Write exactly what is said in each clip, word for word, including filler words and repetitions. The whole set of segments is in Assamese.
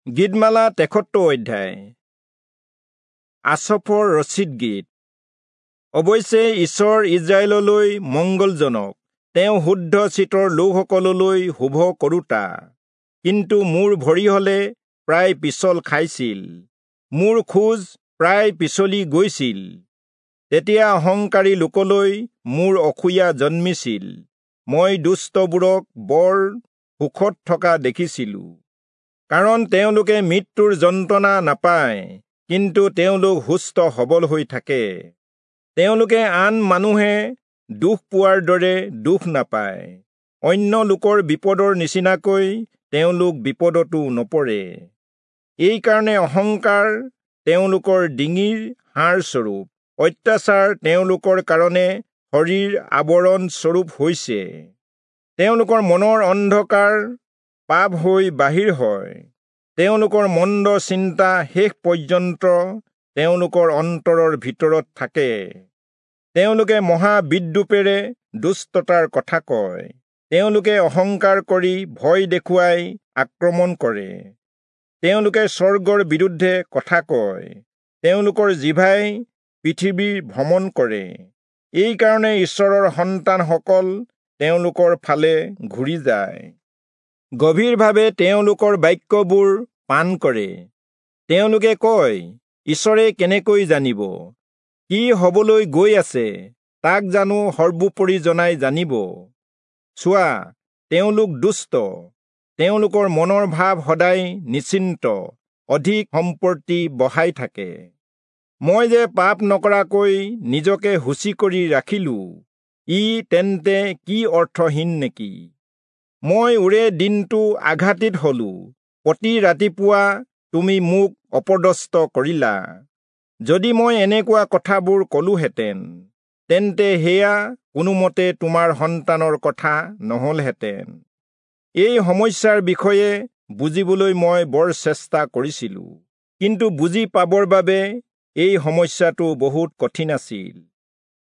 গীতমালা তেসত্তৰ অধ্যায়। আচফৰ ৰচিত গীত। অৱশ্যে ঈশ্বৰ ইস্ৰায়েললৈ মংগলজনক, তেওঁ শুদ্ধ চিত্তৰ লোকসকললৈ শুভ কৰোতা। কিন্তু মোৰ ভৰি হলে প্ৰায় পিছল খাইছিল, মোৰ খোজ প্ৰায় পিছলি গৈছিল। তেতিয়া অহংকাৰী লোকলৈ মোৰ অসূয়া জন্মিছিল, মই দুষ্টবোৰক বৰ সুখত থকা দেখিছিলো। কাৰণ তেওঁলোকে মৃত্যুৰ যন্ত্ৰণা নাপায়, কিন্তু তেওঁলোক সুস্থ সবল হৈ থাকে। তেওঁলোকে আন মানুহে দুখ পোৱাৰ দৰে দুখ নাপায়, অন্য লোকৰ বিপদৰ নিচিনাকৈ তেওঁলোক বিপদতো নপৰে। এইকাৰণে অহংকাৰ তেওঁলোকৰ ডিঙিৰ হাড়স্বৰূপ, অত্যাচাৰ তেওঁলোকৰ কাৰণে শৰীৰ আৱৰণ স্বৰূপ হৈছে। তেওঁলোকৰ মনৰ অন্ধকাৰ পাপ হৈ বাহিৰ হয়, তেওঁলোকৰ মন্দ চিন্তা শেষ পৰ্যন্ত তেওঁলোকৰ অন্তৰৰ ভিতৰত থাকে। তেওঁলোকে মহাবিদ্ৰূপেৰে দুষ্টতাৰ কথা কয়, তেওঁলোকে অহংকাৰ কৰি ভয় দেখুৱাই আক্ৰমণ কৰে। তেওঁলোকে স্বৰ্গৰ বিৰুদ্ধে কথা কয়, তেওঁলোকৰ জিভাই পৃথিৱীৰ ভ্ৰমণ কৰে। এইকাৰণে ঈশ্বৰৰ সন্তানসকল তেওঁলোকৰ ফালে ঘূৰি যায়, গভীৰভাৱে তেওঁলোকৰ বাক্যবোৰ পান কৰে। তেওঁলোকে কয়, ঈশ্বৰে কেনেকৈ জানিব? কি হবলৈ গৈ আছে তাক জানো সৰ্বোপৰি জনাই জানিব? চোৱা, তেওঁলোক দুষ্ট, তেওঁলোকৰ মনৰ ভাৱ সদায় নিশ্চিন্ত, অধিক সম্পত্তি বঢ়াই থাকে। মই যে পাপ নকৰাকৈ নিজকে শুচি কৰি ৰাখিলো, ই তেন্তে কি অৰ্থহীন নেকি? মই ওৰে দিনটো আঘাতিত হলো, প্ৰতি ৰাতিপুৱা তুমি মোক অপদস্থ কৰিলা। যদি মই এনেকুৱা কথাবোৰ কলোহেঁতেন, তেন্তে সেয়া কোনোমতে তোমাৰ সন্তানৰ কথা নহলহেঁতেন। এই সমস্যাৰ বিষয়ে বুজিবলৈ মই বৰ চেষ্টা কৰিছিলো, কিন্তু বুজি পাবৰ বাবে এই সমস্যাটো বহুত কঠিন আছিল।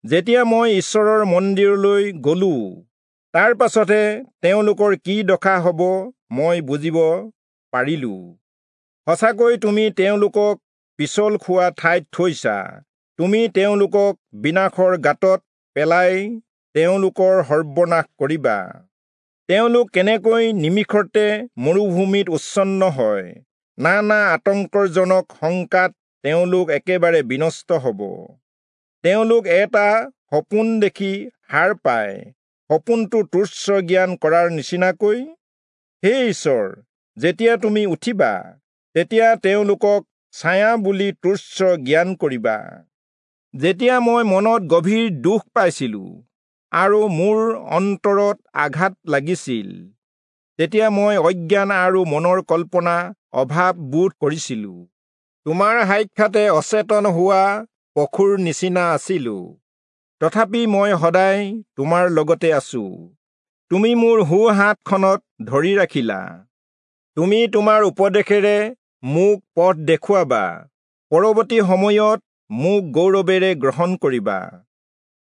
যেতিয়া মই ঈশ্বৰৰ মন্দিৰলৈ গলো, তাৰ পাছতহে তেওঁলোকৰ কি দশা হ'ব মই বুজিব পাৰিলো। সঁচাকৈ তুমি তেওঁলোকক পিছল খোৱা ঠাইত থৈছা, তুমি তেওঁলোকক বিনাশৰ গাঁতত পেলাই তেওঁলোকৰ সৰ্বনাশ কৰিবা। তেওঁলোক কেনেকৈ নিমিষতে মৰুভূমিত উচ্ছন্ন হয়, নানা আতংকজনক শংকাত তেওঁলোক একেবাৰে বিনষ্ট হ'ব। তেওঁলোক এটা সপোন দেখি সাৰ পায়, সপোনটো তুচ্ছ জ্ঞান কৰাৰ নিচিনাকৈ। হে ঈশ্বৰ, যেতিয়া তুমি উঠিবা, তেতিয়া তেওঁলোকক ছায়া বুলি তুচ্ছ জ্ঞান কৰিবা। যেতিয়া মই মনত গভীৰ দুখ পাইছিলো আৰু মোৰ অন্তৰত আঘাত লাগিছিল, তেতিয়া মই অজ্ঞান আৰু মনৰ কল্পনা অভাৱ বোধ কৰিছিলো। তোমাৰ সাক্ষাতে অচেতন হোৱা পশুৰ নিচিনা আছিলো, তথাপি মই সদায় তোমাৰ লগতে আছো। তুমি মোৰ সোঁ হাতখনত ধৰি ৰাখিলা, তুমি তোমাৰ উপদেশেৰে মোক পথ দেখুৱাবা, পৰৱৰ্তী সময়ত মোক গৌৰৱেৰে গ্ৰহণ কৰিবা।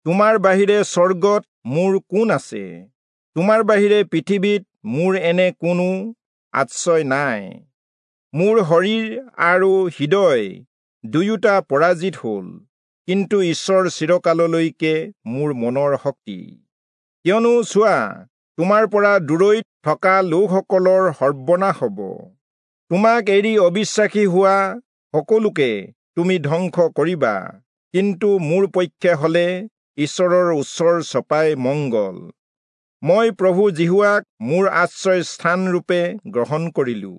তোমাৰ বাহিৰে স্বৰ্গত মোৰ কোন আছে? তোমাৰ বাহিৰে পৃথিৱীত মোৰ এনে কোনো আশ্ৰয় নাই। মোৰ শৰীৰ আৰু হৃদয় দুয়োটা পৰাজিত হ'ল, কিন্তু ঈশ্বৰ চিৰকাললৈকে মোৰ মনৰ শক্তি। কিয়নো চোৱা, তোমাৰ পৰা দূৰৈত থকা লোকসকলৰ সৰ্বনাশ হ'ব। তোমাক এৰি অবিশ্বাসী হোৱা সকলোকে তুমি ধ্বংস কৰিবা, কিন্তু মোৰ পক্ষে হলে ঈশ্বৰৰ ওচৰ চপাই মংগল। মই প্ৰভু যিহোৱাক মোৰ আশ্ৰয় স্থানৰূপে গ্ৰহণ কৰিলো,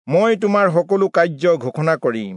মই তোমাৰ সকলো কাৰ্য ঘোষণা কৰিম।